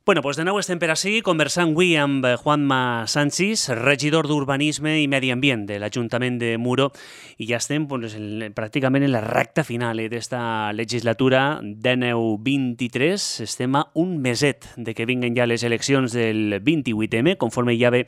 Bueno, doncs de nou estem per ací conversant avui amb Juanma Sanchis, regidor d'Urbanisme i Medi Ambient de l'Ajuntament de Muro, i ja estem pràcticament en la recta final d'esta legislatura 19-23. Estem a un meset de que vinguen ja les eleccions del 28M, conforme ja ve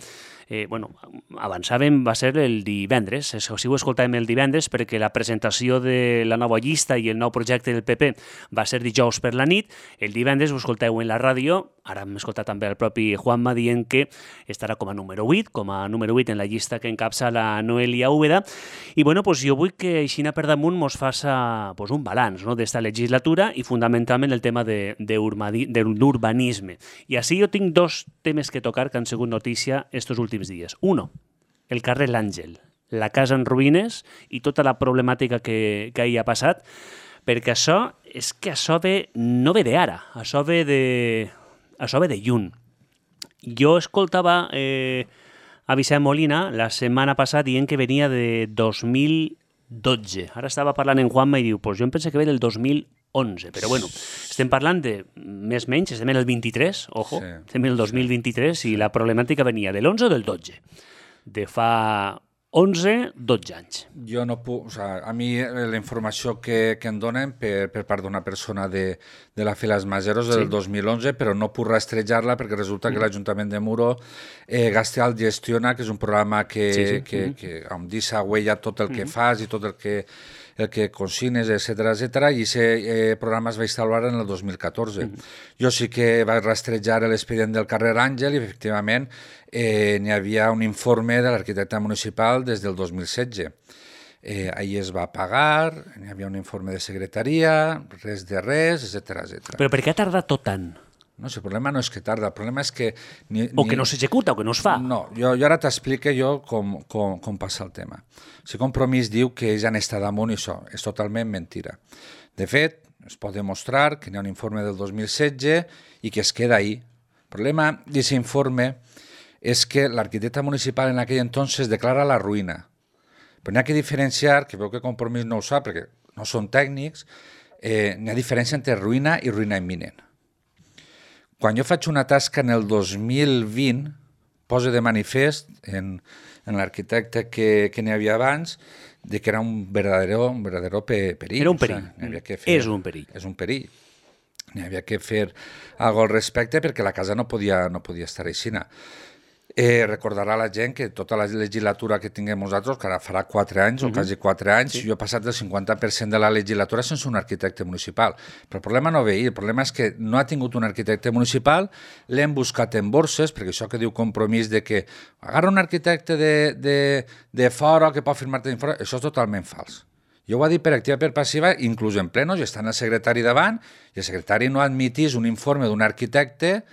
avançàvem, va ser el divendres, si ho escoltàvem el divendres, perquè la presentació de la nova llista i el nou projecte del PP va ser dijous per la nit. El divendres ho escolteu en la ràdio, ara hem escoltat també el propi Juanma dient que estarà com a número 8, en la llista que encapça la Noelia Úbeda. I jo vull que Aixina per damunt mos faça un balanç d'esta legislatura i fundamentalment el tema de l'urbanisme. I així jo tinc dos temes que tocar que han sigut notícia estos últims dies. Uno, el carrer L'Àngel, la casa en ruïnes i tota la problemàtica que hi ha passat, perquè això no ve d'ara, això ve de lluny. Jo escoltava a Vicent Molina la setmana passada dient que venia de 2012. Ara estava parlant en Juanma i diu, jo em penso que ve del 2011, però estem parlant de més o menys, estem en el 23, ojo, estem en el 2023 i la problemàtica venia de l'11 o del 12, de fa 11-12 anys. Jo no puc, a mi la informació que em donen per part d'una persona de la Files Majeros del 2011, però no puc rastrejar-la perquè resulta que l'Ajuntament de Muro Gasteal gestiona, que és un programa que em deixa huella tot el que fas i tot el que consignes, etcètera, i aquest programa es va instal·lar en el 2014. Jo sí que vaig rastrejar l'expedient del carrer Àngel i, efectivament, n'hi havia un informe de l'arquitecte municipal des del 2016. Ahir es va pagar, n'hi havia un informe de secretaria, res de res, etcètera. Però per què ha tardat tot tant? No sé, el problema no és que tarda, el problema és que... O que no s'executa, o que no es fa. No, jo ara t'explico com passa el tema. Si Compromís diu que ells han estat damunt i això és totalment mentira. De fet, es pot demostrar que hi ha un informe del 2016 i que es queda ahí. El problema d'aquest informe és que l'arquitecte municipal en aquell entonces declara la ruïna. Però n'hi ha que diferenciar, que veu que Compromís no ho sap perquè no són tècnics, n'hi ha diferència entre ruïna i ruïna imminent. Quan jo faig una tasca en el 2020, posa de manifest en l'arquitecte que n'hi havia abans de que era un verdadero perill. Era un perill. És un perill. És un perill. N'hi havia que fer alguna cosa al respecte perquè la casa no podia estar així. Recordarà la gent que tota la legislatura que tinguem nosaltres, que ara farà 4 anys o quasi 4 anys, jo he passat del 50% de la legislatura sense un arquitecte municipal. Però el problema no ve ahir, el problema és que no ha tingut un arquitecte municipal, l'hem buscat en borses, perquè això que diu Compromís de que agarra un arquitecte de fora que pot firmar-te d'infora, això és totalment fals. Jo ho ha dit per activa i per passiva, inclús en plenos, i estan el secretari davant, i el secretari no admitís un informe d'un arquitecte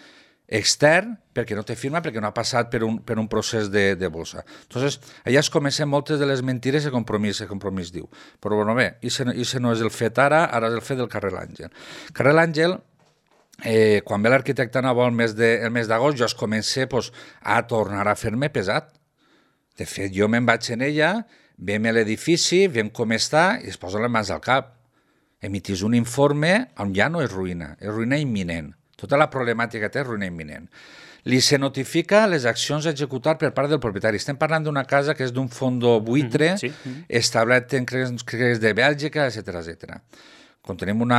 extern perquè no té firma, perquè no ha passat per un procés de bolsa. Entonces, allà es comencen moltes de les mentires que Compromís diu. Però bé, això no és el fet ara és el fet del carrer L'Àngel. Carrer L'Àngel, quan ve l'arquitecte nou el mes d'agost, jo es comença a tornar a fer-me pesat. De fet, jo me'n vaig en ella, vem l'edifici, vem com està i es posa les mans al cap. Emitís un informe on ja no és ruïna imminent. Tota la problemàtica té ruïna imminent. Li se notifica les accions a executar per part del propietari. Estem parlant d'una casa que és d'un fondo buitre, establert en crèdits de Bèlgica, etcètera. Quan tenim un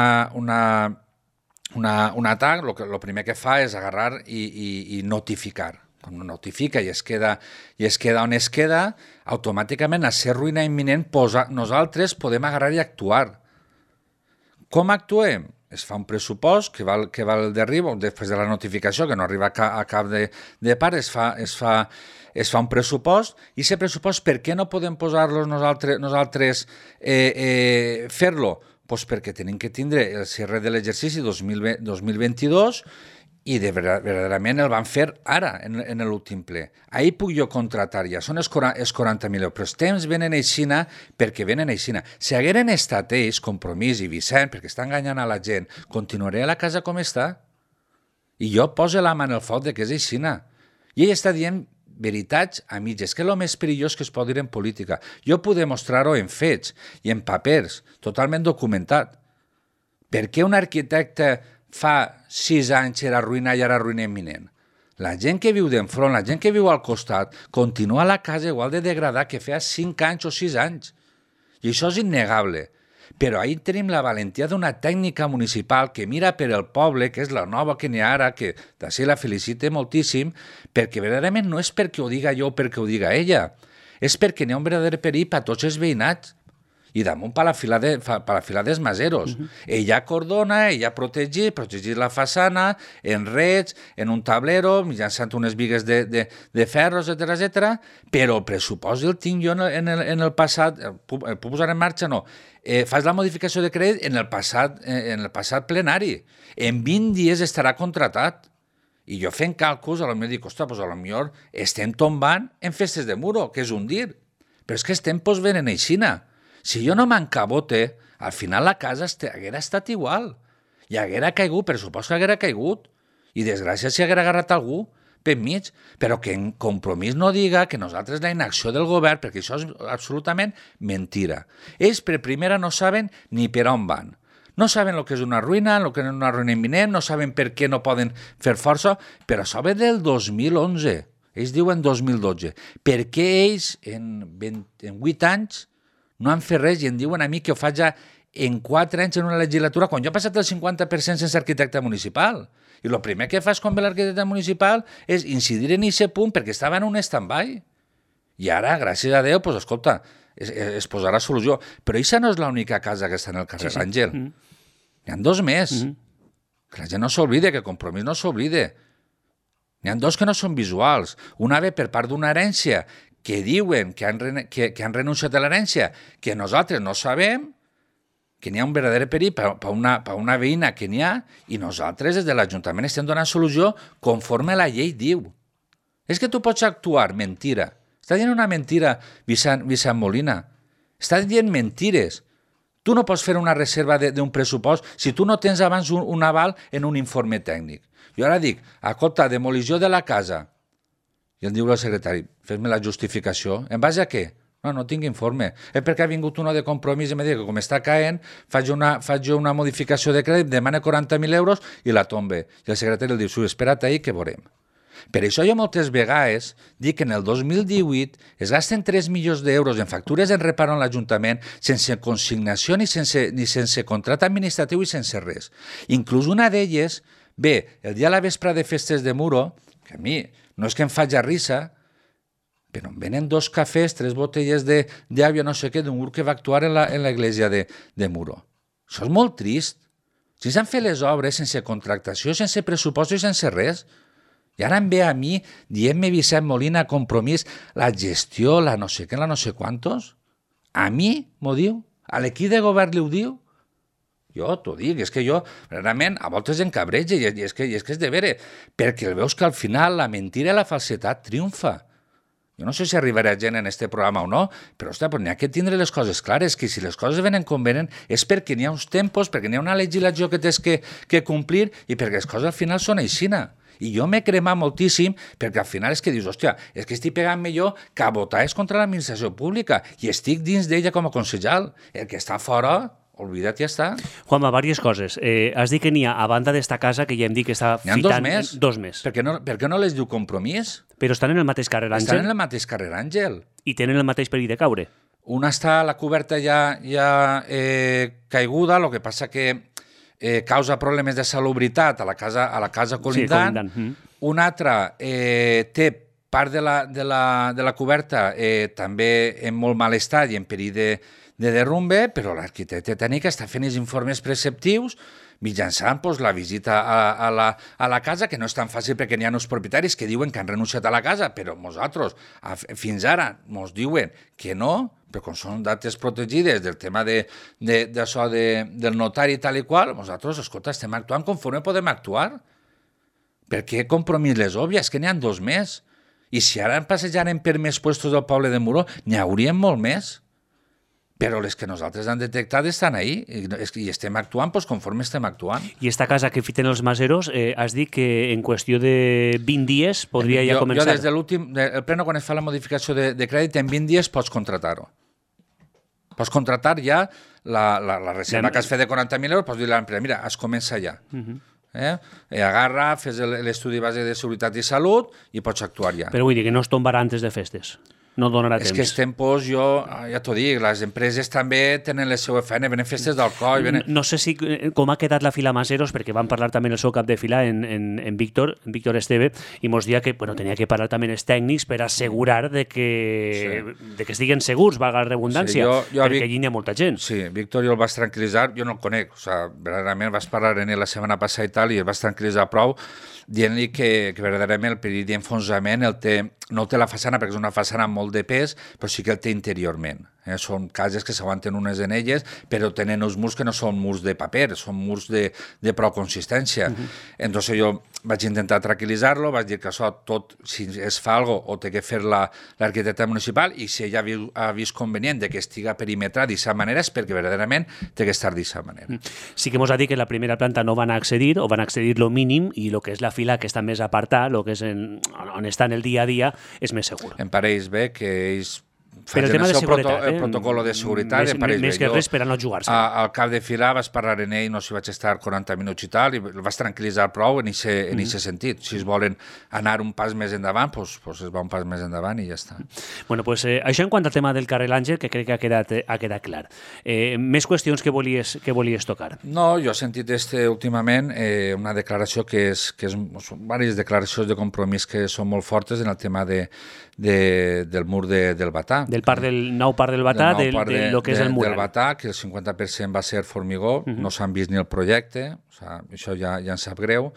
atac, el primer que fa és agarrar i notificar. Quan notifica i es queda on es queda, automàticament, a ser ruïna imminent, nosaltres podem agarrar i actuar. Com actuem? Es fa un pressupost que val el derribo, després de la notificació, que no arriba a cap de part, es fa un pressupost, i aquest pressupost, per què no podem posar-los nosaltres fer-lo? Doncs perquè tenim que tindre el cierre de l'exercici 2022 i verdaderament el van fer ara, en l'últim ple. Ahir puc jo contratar ja, són els 40.000 euros, però els temps venen aixina perquè venen aixina. Si hagueren estat ells, Compromís i Vicent, perquè estan enganyant a la gent, continuaré a la casa com està. I jo poso la mà en el foc que és aixina. I ell està dient veritats a mitges, que és el més perillós que es pot dir en política. Jo puc demostrar-ho en fets i en papers, totalment documentat. Per què un arquitecte fa 6 anys era ruïna i ara ruïna imminent. La gent que viu d'enfront, la gent que viu al costat, continua a la casa igual de degradada que feia 5 anys o 6 anys. I això és innegable. Però ahir tenim la valentia d'una tècnica municipal que mira per el poble, que és la nova que n'hi ha ara, que d'ací la felicite moltíssim, perquè verdaderament no és perquè ho diga jo o perquè ho diga ella, és perquè n'hi ha un verdader perill per a tots els veïnats. I damunt per la fila dels maseros. Ella cordona, ella protegir la façana, en rets, en un tablero, mitjançant unes bigues de ferros, etc. Però el pressupost el tinc jo en el passat, el puc posar en marxa, no. Fas la modificació de crèdit en el passat plenari. En 20 dies estarà contratat. I jo fent càlculs, potser dic, ostres, potser estem tombant en festes de Muro, que és un dir. Però és que els tempos venen aixina. Si jo no m'encabote, al final la casa haguera estat igual. I haguera caigut, per supost que haguera caigut. I desgràcia si haguera agarrat algú per mig, però que en Compromís no diga que nosaltres la inacció del govern, perquè això és absolutament mentira. Ells per primera no saben ni per on van. No saben el que és una ruïna, el que és una ruïna imminent, no saben per què no poden fer força, però això ve del 2011. Ells diuen 2012. Per què ells en 8 anys no han fet res i em diuen a mi que ho faig ja en 4 anys en una legislatura, quan jo he passat el 50% sense arquitecte municipal. I el primer que fas quan ve l'arquitecte municipal és incidir en aquest punt perquè estava en un stand-by. I ara, gràcies a Déu, doncs, escolta, es posarà solució. Però aquesta no és l'única casa que està en el carrer Àngel. N'hi ha 2 més. Que la gent no s'oblide, que Compromís no s'oblide. N'hi ha 2 que no són visuals. Una ve per part d'una herència que diuen que han renunciat a l'herència, que nosaltres no sabem, que n'hi ha un verdader perill per una veïna que n'hi ha, i nosaltres des de l'Ajuntament estem donant solució conforme la llei diu. És que tu pots actuar mentira. Està dient una mentira, Vicent Molina. Està dient mentires. Tu no pots fer una reserva d'un pressupost si tu no tens abans un aval en un informe tècnic. Jo ara dic, escolta, demolició de la casa. I em diu el secretari, fes-me la justificació. En base a què? No tinc informe. És perquè ha vingut una de Compromís i m'ha dit que com està caent, faig una modificació de crèdit, demana 40.000 euros i la tombe. I el secretari li diu, espera't ahir que veurem. Per això jo moltes vegades dic que en el 2018 es gasten 3 milions d'euros en factures en reparo en l'Ajuntament sense consignació ni sense contracte administratiu i sense res. Inclús una d'elles ve el dia a la vespre de festes de Muro, que a mi no és que em faci risa, però em venen 2 cafès, 3 botelles d'aigua, no sé què, d'un grup que va actuar en l'església de Muro. Això és molt trist. Si s'han fet les obres sense contractació, sense pressupost i sense res, i ara em ve a mi dient-me Vicent Molina, Compromís, la gestió, la no sé què, la no sé quantos. A mi m'ho diu? A l'equip de govern li ho diu? Jo t'ho dic, és que jo, realment, a voltes encabreja, i és que és de veure, perquè el veus que al final la mentira i la falsetat triomfa. Jo no sé si arribarà gent en este programa o no, però ostres, n'hi ha que tindre les coses clares, que si les coses venen com venen és perquè n'hi ha uns tempos, perquè n'hi ha una legislació que tens que complir i perquè les coses al final són aixina. I jo m'he cremat moltíssim perquè al final és que dius, hòstia, és que estic pegant-me jo que a votar és contra l'administració pública i estic dins d'ella com a consellal. El que està fora, oblida't, ja està. Juanma, diverses coses. Has dit que n'hi ha, a banda d'esta casa, que ja hem dit que està fitant... N'hi ha 2 més. Per què no les diu Compromís? Però estan en el mateix carrer Àngel? Estan en el mateix carrer Àngel. I tenen el mateix perill de caure? Una està a la coberta ja caiguda, el que passa que causa problemes de salubritat a la casa colindant. Sí, colindant. Una altra té part de la coberta també en molt mal estat i en perill de derrumbe, però l'arquitecte tècnic està fent els informes preceptius mitjançant la visita a la casa, que no és tan fàcil perquè n'hi ha uns propietaris que diuen que han renunciat a la casa, però nosaltres fins ara ens diuen que no, però com són dates protegides del tema d'això del notari tal i qual, nosaltres, escolta, estem actuant conforme podem actuar. Per què Compromís les obvies? És que n'hi ha 2 més. I si ara passejarem per més puestos del poble de Muro, n'hi haurien molt més. Però les que nosaltres hem detectat estan ahí i estem actuant conforme estem actuant. I esta casa que fiten els maseros, has dit que en qüestió de 20 dies podria ja començar? Jo des de l'últim, el pleno, quan es fa la modificació de crèdit, en 20 dies pots contratar-ho. Pots contratar ja la reserva que has fet de 40.000 euros, pots dir a l'empresa, mira, es comença ja. Agarra, fes l'estudi base de seguretat i salut i pots actuar ja. Però vull dir que no es tombarà antes de festes. No donarà temps. És que els tempos, jo ja t'ho dic, les empreses també tenen les seues feines, venen festes d'alcohol... No sé si com ha quedat la fila Maseros, perquè van parlar també el seu cap de fila, en Víctor Esteve, i mos dia que tenia que parlar també els tècnics per assegurar de que estiguen segurs, valga la redundància, perquè allí n'hi ha molta gent. Sí, Víctor jo el vaig tranquil·litzar, jo no el conec, verdaderament vaig parlar amb ell la setmana passada i tal, i el vaig tranquil·litzar prou, dient-li que verdaderament el perill d'enfonsament no el té la façana, perquè és una façana amb molt de pes, però sí que el té interiorment. Són cases que s'aguanten unes en elles, però tenen uns murs que no són murs de paper, són murs de prou consistència. Entonces jo vaig intentar tranquil·litzar-lo, vaig dir que això tot, si es fa alguna cosa, o té que fer l'arquitecte municipal, i si ella ha vist convenient que estiga perimetrat d'aquesta manera, és perquè verdaderament té que estar d'aquesta manera. Sí que mos ha dit que en la primera planta no van accedir, o van accedir lo mínim, i el que és la fila que està més apartada, el que és on està en el dia a dia, és més segur. Em pareix bé que ells per el tema de seguretat, el protocol de seguretat, més que res per a no jugar-se. Al cap de fila vas parlar en ell, no sé si vaig estar 40 minuts i tal, i el vas tranquil·litzar prou en aquest sentit. Si es volen anar un pas més endavant, doncs es va un pas més endavant i ja està. Bueno, pues això en quant al tema del carrer L'Àngel, que crec que ha quedat clar. Més qüestions que volies tocar? No, jo he sentit últimament una declaració són diverses declaracions de compromís que són molt fortes en el tema del mur del Batà. Del nou parc del Batà, del que és el mural. Del Batà, que el 50% va ser formigó, no s'han vist ni el projecte, això ja em sap greu.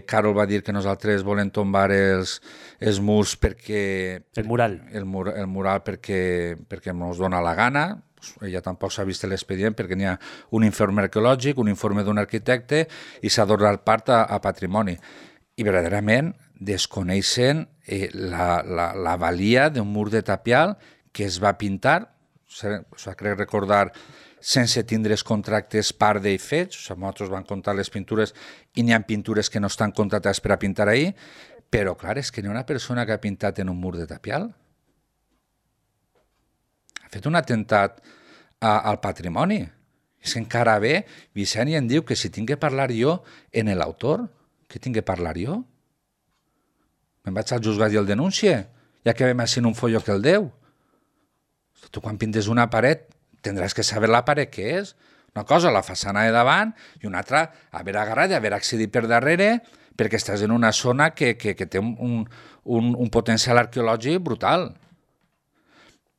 Carol va dir que nosaltres volem tombar els murs perquè... El mural. El mural perquè ens dona la gana. Ella tampoc s'ha vist l'expedient perquè n'hi ha un informe arqueològic, un informe d'un arquitecte i s'ha donat part a patrimoni. I verdaderament desconeixen la valia d'un mur de tapial que es va pintar, crec recordar, sense tindre els contractes part d'ell fets, nosaltres vam comptar les pintures i n'hi ha pintures que no estan contractades per a pintar ahir, però clar, és que n'hi ha una persona que ha pintat en un mur de tapial. Ha fet un atemptat al patrimoni. És que encara bé, Vicent em diu que si tinc que parlar jo en l'autor, què tinc que parlar jo? Me'n vaig al juzgat i el denuncie, ja que vam assignar un folló que el deu. Tu quan pintes una paret tindràs que saber la paret què és. Una cosa, la façana de davant, i una altra, haver agarrat i haver accedit per darrere, perquè estàs en una zona que té un potencial arqueològic brutal.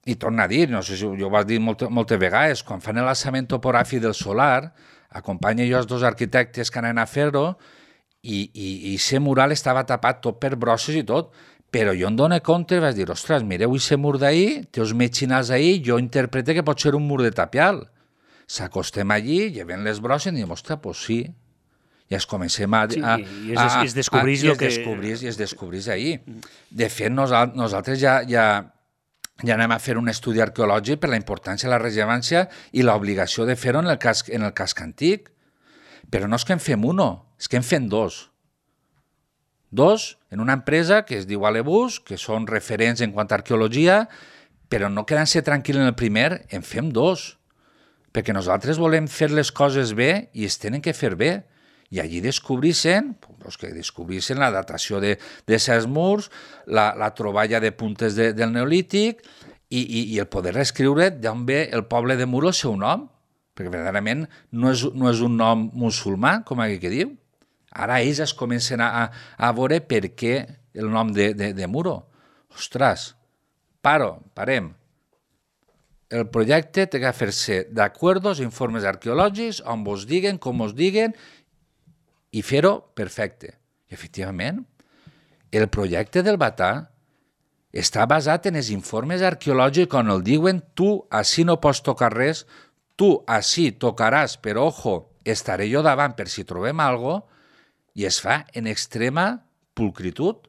I torna a dir, no sé si jo ho vaig dir moltes vegades, quan fan l'alçament topogràfic del solar, acompanyo jo els dos arquitectes que anaven a fer-ho, i aquest mural estava tapat tot per brosses i tot, però jo em dono compte i vaig dir, ostres, mireu aquest mur d'ahir, té els metxinals ahir, jo interprete que pot ser un mur de tapial. S'acostem allí, llevem les brosses i diem, ostres, doncs sí. I es comencem a... I es descobrís ahir. De fet, nosaltres ja anem a fer un estudi arqueològic per la importància, la rellevància i l'obligació de fer-ho en el casc antic. Però no és que en fem uno, és que en fem dos. Dos en una empresa que es diu Alebus, que són referents en quant a arqueologia, però no quedant-se tranquil en el primer, en fem dos. Perquè nosaltres volem fer les coses bé i es tenen que fer bé. I allí descobrissen la datació de certs murs, la troballa de puntes del Neolític i el poder reescriure d'on ve el poble de Muro el seu nom. Perquè verdaderament no és un nom musulmà, com aquí que diu. Ara ells es comencen a veure per què el nom de Muro. Ostres, parem. El projecte té que fer-se d'acord als informes arqueològics, on vos diguen, com vos diguen, i fer-ho perfecte. I efectivament, el projecte del Batà està basat en els informes arqueològics on el diuen tu així no pots tocar res, tu així tocaràs, però ojo, estaré jo davant per si trobem alguna cosa, i es fa en extrema pulcritud.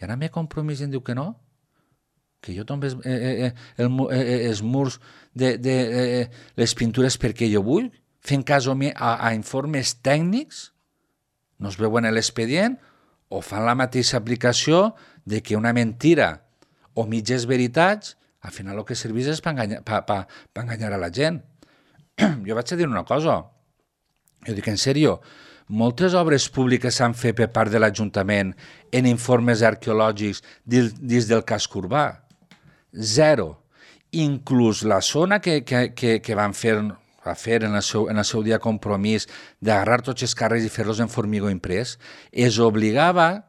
I ara m'he compromís i em diu que no, que jo tombe els murs de les pintures perquè jo vull, fent cas a informes tècnics, no es veuen l'expedient, o fan la mateixa aplicació de que una mentira o mitges veritats al final el que serveix és per enganyar a la gent. Jo vaig a dir una cosa, jo dic en sèrio, moltes obres públiques s'han fet per part de l'Ajuntament en informes arqueològics dins del casc urbà. Zero. Inclús la zona que van fer en el seu dia compromís d'agarrar tots els carrers i fer-los en formigó imprès, es obligava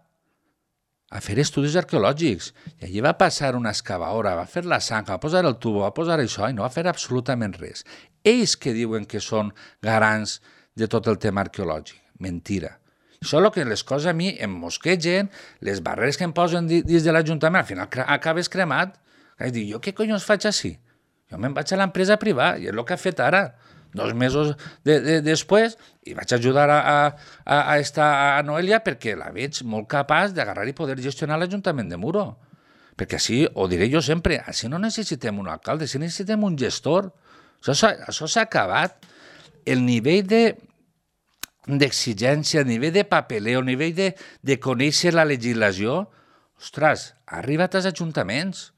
a fer estudis arqueològics. I allí va passar una excavadora, va fer la sang, va posar el tubo, va posar això i no va fer absolutament res. Ells que diuen que són garants de tot el tema arqueològic. Mentira. Això és el que les coses a mi em mosquegen, les barreres que em posen dins de l'Ajuntament, al final acabes cremat. I dic, jo què collons faig així? Jo me'n vaig a l'empresa privada, i és el que ha fet ara. 2 mesos després, i vaig ajudar a Noelia perquè la veig molt capaç d'agarrar i poder gestionar l'Ajuntament de Muro. Perquè així, ho diré jo sempre, així no necessitem un alcalde, així necessitem un gestor. Això s'ha acabat. El nivell d'exigència, el nivell de papeleo, el nivell de conèixer la legislació, ostres, ha arribat als ajuntaments.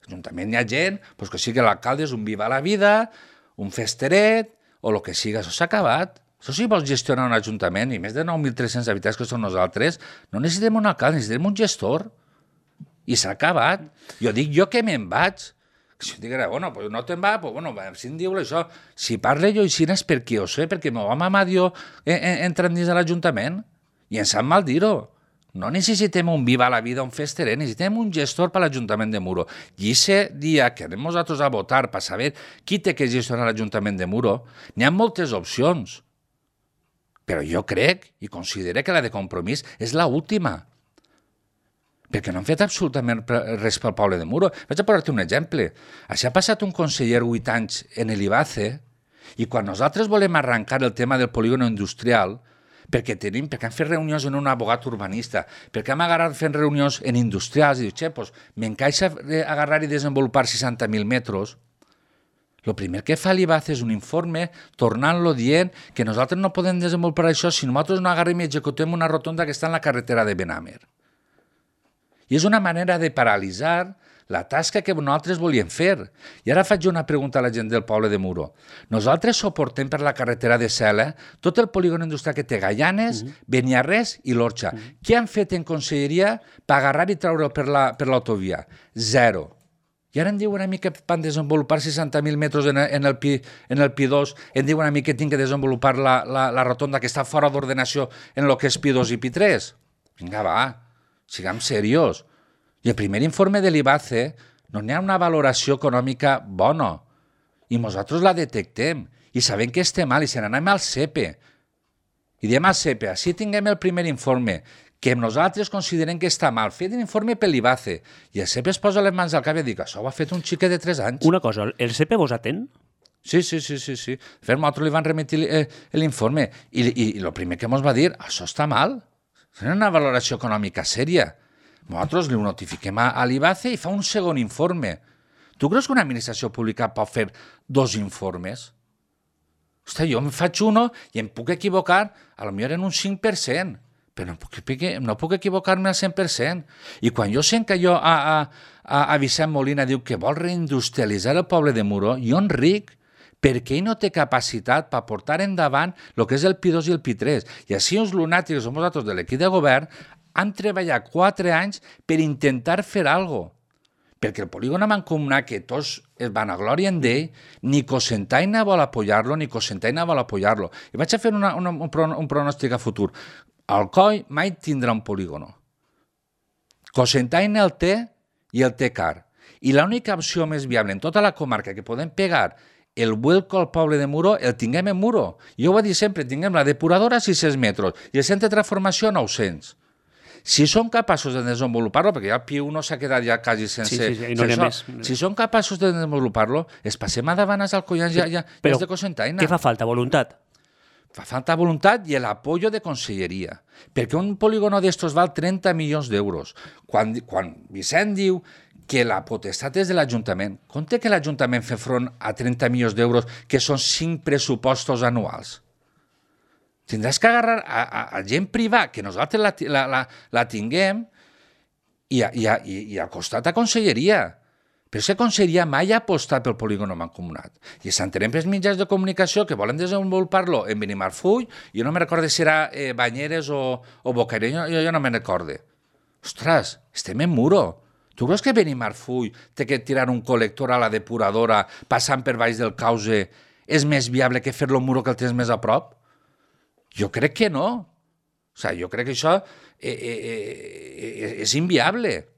L'Ajuntament hi ha gent, doncs que sigui l'alcalde és un viva la vida, un festeret, o el que siga, això s'ha acabat. Això si vols gestionar un ajuntament, i més de 9.300 habitants que som nosaltres, no necessitem un alcalde, necessitem un gestor. I s'ha acabat. Jo dic, jo que me'n vaig. Si jo dic, bueno, pues no te'n va, pues bueno, si em diu això, si parle jo així és perquè ho sé, perquè me va mamar Dios entrant dins de l'Ajuntament, i em sap mal dir-ho. No necessitem un viva la vida, un festeret, necessitem un gestor per l'Ajuntament de Muro. I aquest dia que anem nosaltres a votar per saber qui té que gestionar l'Ajuntament de Muro, n'hi ha moltes opcions. Però jo crec i considero que la de Compromís és l'última. Perquè no han fet absolutament res pel poble de Muro. Vaig a posar-te un exemple. Així ha passat un conseller 8 anys en l'Ibace i quan nosaltres volem arrencar el tema del polígono industrial, perquè han fet reunions en un abogat urbanista, perquè hem agarrat fent reunions en industrials i diu, doncs m'encaixa agarrar i desenvolupar 60.000 metres. El primer que fa l'IBAC és un informe tornant-lo dient que nosaltres no podem desenvolupar això si nosaltres no agarrem i executem una rotonda que està en la carretera de Benamer. I és una manera de paralitzar la tasca que nosaltres volíem fer. I ara faig una pregunta a la gent del poble de Muro. Nosaltres soportem per la carretera de Sela tot el polígon industrial que té Gaianes, Beniarrés i l'Orxa. Què han fet en conselleria per agarrar i treure'l per l'autovia? Zero. I ara em diuen a mi que van desenvolupar 60.000 metres en el Pi2, em diuen a mi que tinc que desenvolupar la rotonda que està fora d'ordenació en el que és Pi2 i Pi3. Vinga, va, siguem seriós. I el primer informe de l'IBACE no n'hi ha una valoració econòmica bona. I nosaltres la detectem. I sabem que estem mal i se n'anem al CEPE. I diem al CEPE, així tinguem el primer informe, que nosaltres considerem que està mal. Fet l'informe per l'IBACE. I el CEPE es posa les mans al cap i diu, això ho ha fet un xiquet de 3 anys. Una cosa, el CEPE vos atén? Sí. De fet, nosaltres li van remitir l'informe. I el primer que ens va dir, això està mal. És una valoració econòmica sèria. Nosaltres li notifiquem a l'IBACE i fa un segon informe. Tu creus que una administració pública pot fer 2 informes? Hosti, jo em faig uno i em puc equivocar, potser en un 5%, però no puc equivocar-me al 100%. I quan jo sent que a Vicent Molina diu que vol reindustrialitzar el poble de Muro, jo en ric, perquè ell no té capacitat per portar endavant el que és el Pi2 i el Pi3. I així uns lunàtics, que som nosaltres de l'equip de govern, han treballat 4 anys per intentar fer alguna cosa. Perquè el polígon mancomunat, que tots es van a glòria d'ell, ni Cocentaina vol apoyar-lo, ni Cocentaina vol apoyar-lo. I vaig a fer un pronòstic a futur. Alcoi mai tindrà un polígono. Cocentaina el té i el té car. I l'única opció més viable en tota la comarca que podem pegar el vuelco al poble de Muro, el tinguem en Muro. Jo ho he dit sempre, tinguem la depuradora a 600 metres i el centre de transformació a 900. Si són capaços de desenvolupar-lo, perquè ja el Pi1 s'ha quedat ja quasi sense... Sí, no més. Si són capaços de desenvolupar-lo, es passem a davant als Alcoians ja és de Cocentaina. Què fa falta? Voluntat? Fa falta voluntat i l'apoyo de conselleria. Perquè un polígono d'estos val 30 milions d'euros. Quan Vicent diu que la potestat és de l'Ajuntament, compte que l'Ajuntament fa front a 30 milions d'euros, que són 5 pressupostos anuals. Tindràs que agarrar a gent privada, que nosaltres la tinguem, i al costat a conselleria. Però aquesta conselleria mai ha apostat pel polígon mancomunat. I s'entenem pels mitjans de comunicació que volen desenvolupar-lo en Benimarfull, i jo no me recordo si era Banyeres o Bocairent, jo no me'n recordo. Ostres, estem en Muro. Tu creus que Benimarfull té que tirar un col·lector a la depuradora passant per baix del Cauce és més viable que fer-lo Muro que el tens més a prop? Jo crec que no. O sigui, jo crec que això és inviable.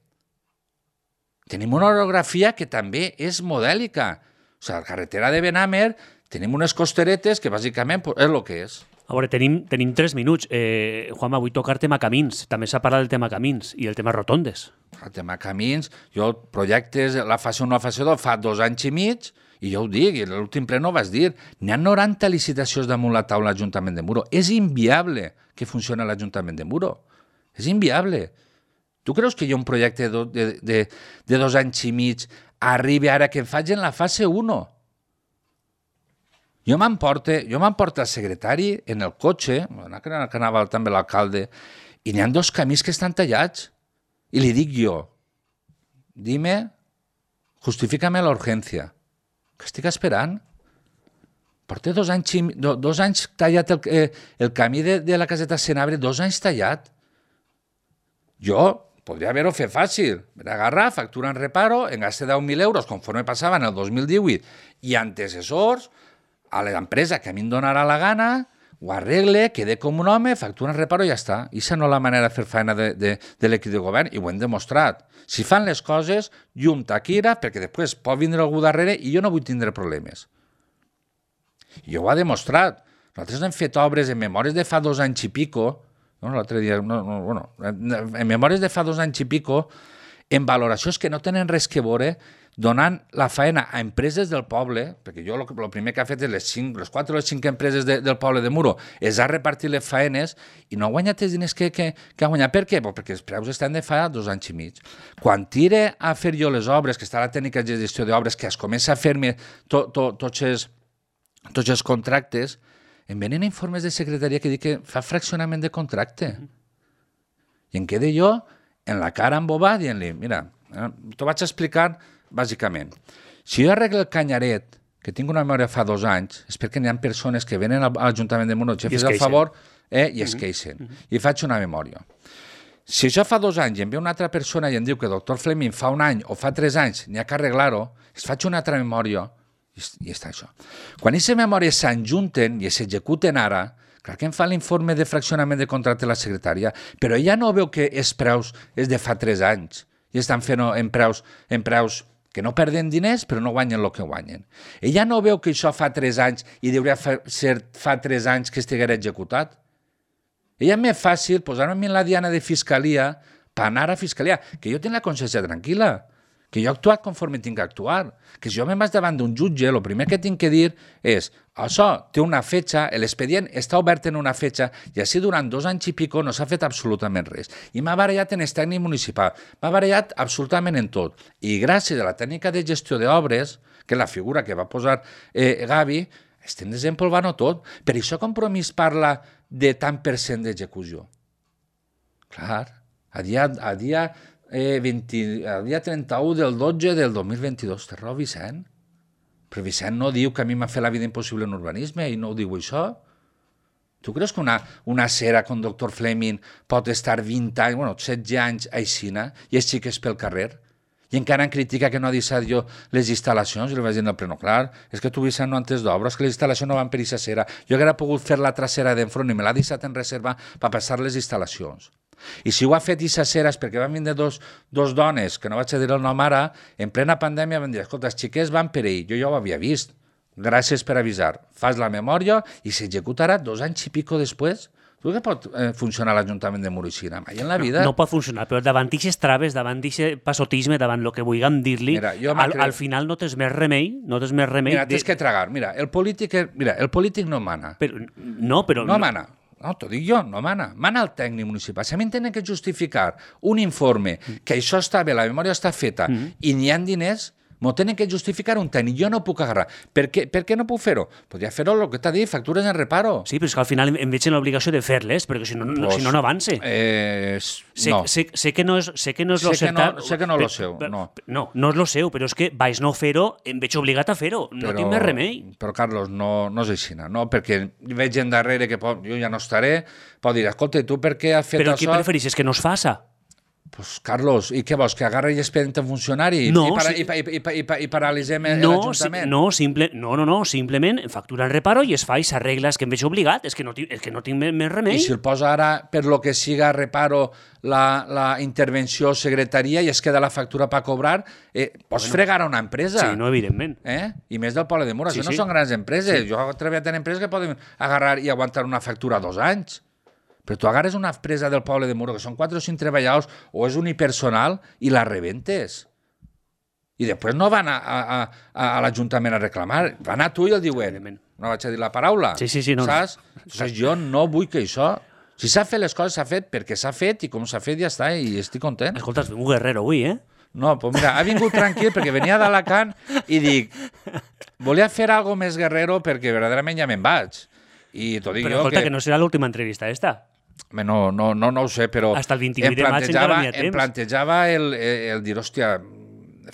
Tenim una orografia que també és modèlica. O sigui, a la carretera de Benamer tenim unes costeretes que bàsicament és el que és. A veure, tenim 3 minuts. Juanma, vull tocar tema camins. També s'ha parlat del tema camins i el tema rotondes. El tema camins, jo projectes, la fase 1 o la fase 2 fa 2 anys i mig, i jo ho dic, i l'últim ple no ho vas dir, n'hi ha 90 licitacions damunt la taula a l'Ajuntament de Muro. És inviable que funcioni a l'Ajuntament de Muro. És inviable. Tu creus que hi ha un projecte de 2 anys i mig arribi ara que em faig en la fase 1? Jo m'emporto el secretari en el cotxe, que anava també l'alcalde, i n'hi ha 2 camins que estan tallats. I li dic jo, dime, justifícame la urgència. Que estic esperant? Porta 2 anys tallat el camí de la caseta Senabre, 2 anys tallat. Jo podria haver-ho fet fàcil. Agarrar, factura en reparo, en gaste 10.000 euros, conforme passava en el 2018, i antecessors, a l'empresa que a mi em donarà la gana, ho arregle, quede com un home, factura en reparo i ja està. I això no és la manera de fer feina de l'equip de govern, i ho hem demostrat. Si fan les coses, llum taquira, perquè després pot vindre algú darrere i jo no vull tindre problemes. I jo ho ha demostrat. Nosaltres hem fet obres en memòries de fa 2 anys i pico, l'altre dia, en memòries de fa 2 anys i pico, en valoracions que no tenen res que veure, donant la faena a empreses del poble, perquè jo el primer que ha fet és les 4 o les 5 empreses del poble de Muro, és a repartir les faenes i no ha guanyat els diners que ha guanyat. Per què? Perquè els preus estan de fa 2 anys i mig. Quan tire a fer jo les obres, que està la tècnica de gestió d'obres, que es comença a fer-me tots els contractes, em venen informes de secretaria que dic que fa fraccionament de contracte. I em quedo jo en la cara embobada dient-li, mira, t'ho vaig explicar bàsicament. Si jo arreglo el canyaret, que tinc una memòria fa 2 anys, és perquè n'hi ha persones que venen a l'Ajuntament de Muro, jefes al favor, i es queixen. I faig una memòria. Si això fa 2 anys i em ve una altra persona i em diu que el doctor Fleming fa 1 any o fa 3 anys n'hi ha que arreglar-ho, es faig una altra memòria i està això. Quan aquestes memòries s'enjunten i s'executen ara, clar que em fa l'informe de fraccionament de contracte la secretària, però ella no veu que els preus és de fa 3 anys i estan fent en preus que no perden diners però no guanyen el que guanyen. Ella no veu que això fa 3 anys i hauria ser fa 3 anys que estigués executat. Ella és més fàcil posar-me en la diana de fiscalia per anar a fiscalia, que jo tinc la consciència tranquil·la, que jo he actuat conforme tinc que actuar, que si jo me'n vaig davant d'un jutge, el primer que tinc que dir és això té una fetge, l'expedient està obert en una fetge i així durant 2 anys i pico no s'ha fet absolutament res. I m'ha barallat en el tècnic municipal, m'ha barallat absolutament en tot. I gràcies a la tècnica de gestió d'obres, que és la figura que va posar Gavi, estem desempolvant-ho tot. Per això Compromís parla de tant per cent d'execució. Clar, a dia 31 del 12 del 2022, té raó Vicent. Però Vicent no diu que a mi m'ha fet la vida impossible en urbanisme i no ho diu això. Tu creus que una cera com doctor Fleming pot estar 20 anys, 16 anys aixina i els xiques pel carrer? I encara em critica que no ha deixat jo les instal·lacions. I li vaig dir, no, però no, clar, és que tu, Vicent, no entens d'obres, que les instal·lacions no van per aquesta cera. Jo hauria pogut fer la trasera d'enfront i me l'ha deixat en reserva per passar les instal·lacions. I si ho ha fet aquesta cera és perquè van vindre dos dones, que no vaig a dir el nom ara, en plena pandèmia van dir, escolta, els xiquets van per ahir, jo ja ho havia vist. Gràcies per avisar. Fas la memòria i s'executarà 2 anys i pico després. Tu que pot funcionar l'Ajuntament de Muro i mai en la vida? No pot funcionar, però davant d'aquestes traves, davant d'aquest passotisme, davant el que vulguem dir-li, al final no tens més remei. Mira, tens que tragar. Mira, el polític no mana. No mana. No, t'ho dic jo, no mana. Mana el tècnic municipal. Si a mi em tenen que justificar un informe que això està bé, la memòria està feta i n'hi ha diners, M'ho tenen que justificar un tècnic, jo no puc agarrar. Per què no puc fer-ho? Podria fer-ho el que t'ha dit, factures en reparo. Sí, però és que al final em veig en l'obligació de fer-les, perquè si no avance. No. Sé que no és lo seu. Sé que no és lo seu, no. No és lo seu, però és que vaig no fer-ho, em veig obligat a fer-ho. No tinc més remei. Però, Carlos, no és així, no? Perquè veig gent darrere que jo ja no estaré, pot dir, escolta, tu per què has fet però això? Però què prefereixes, que no es faça? Pues, Carlos, i què vols, que agarri i expedient un funcionari i paralitzem l'Ajuntament? No, simplement factura en reparo i es fa i s'arregla, és que em veig obligat, és que no tinc més remei. I si el posa ara, per lo que siga reparo, la intervenció secretaria i es queda la factura per cobrar, pots fregar a una empresa. Sí, no, evidentment. I més del poble de Muro, no són grans empreses. Jo he treballat en empreses que poden agarrar i aguantar una factura 2 anys. Però tu agarres una empresa del poble de Muro, que són 4 o 5 treballadors, o és unipersonal, i la rebentes. I després no van a l'Ajuntament a reclamar, van a tu i el diuen. No vaig a dir la paraula. Sí, no. Saps? Jo no vull que això... Si s'ha fet les coses, s'ha fet perquè s'ha fet, i com s'ha fet ja està, i estic content. Escolta, has vingut guerrero avui, No, doncs mira, ha vingut tranquil perquè venia d'Alacant i dic, volia fer algo més guerrero perquè verdaderament ja me'n vaig. I t'ho dic però escolta, que no serà l'última entrevista esta. No ho sé, però hasta el 28 de maig encara n'hi ha temps. Em plantejava el dir, hòstia,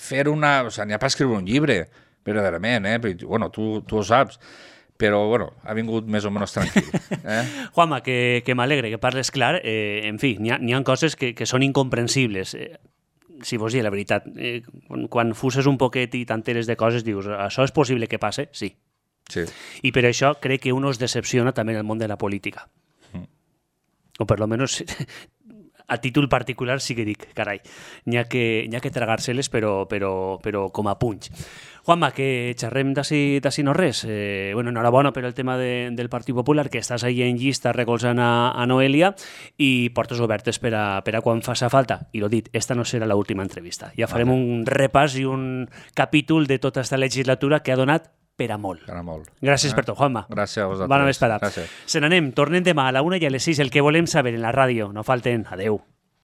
fer una... O sigui, n'hi ha per escriure un llibre, verdaderament, Bueno, tu ho saps, però, bueno, ha vingut més o menys tranquil. Juanma, que m'alegre, que parles clar. En fi, n'hi ha coses que són incomprensibles. Si vos dic la veritat, quan fuses un poquet i t'enteres de coses, dius, això és possible que passe? Sí. I per això crec que uno es decepciona també en el món de la política. O per lo menos a títol particular sí que dic, carai, n'hi ha que tragar-se-les, però com a punys. Juanma, que xerrem d'ací no res. Enhorabona per el tema del Partit Popular, que estàs ahí en llista recolzant a Noelia i portes obertes per a quan faça falta. I l'ho dit, esta no serà l'última entrevista. Ja farem un repàs i un capítol de tota esta legislatura que ha donat per a molt. Gràcies per tot, Juanma. Gràcies a vosaltres. Bona vesprada. Se n'anem, tornem demà a la 1 i a les 6, el que volem saber en la ràdio. No falten. Adeu.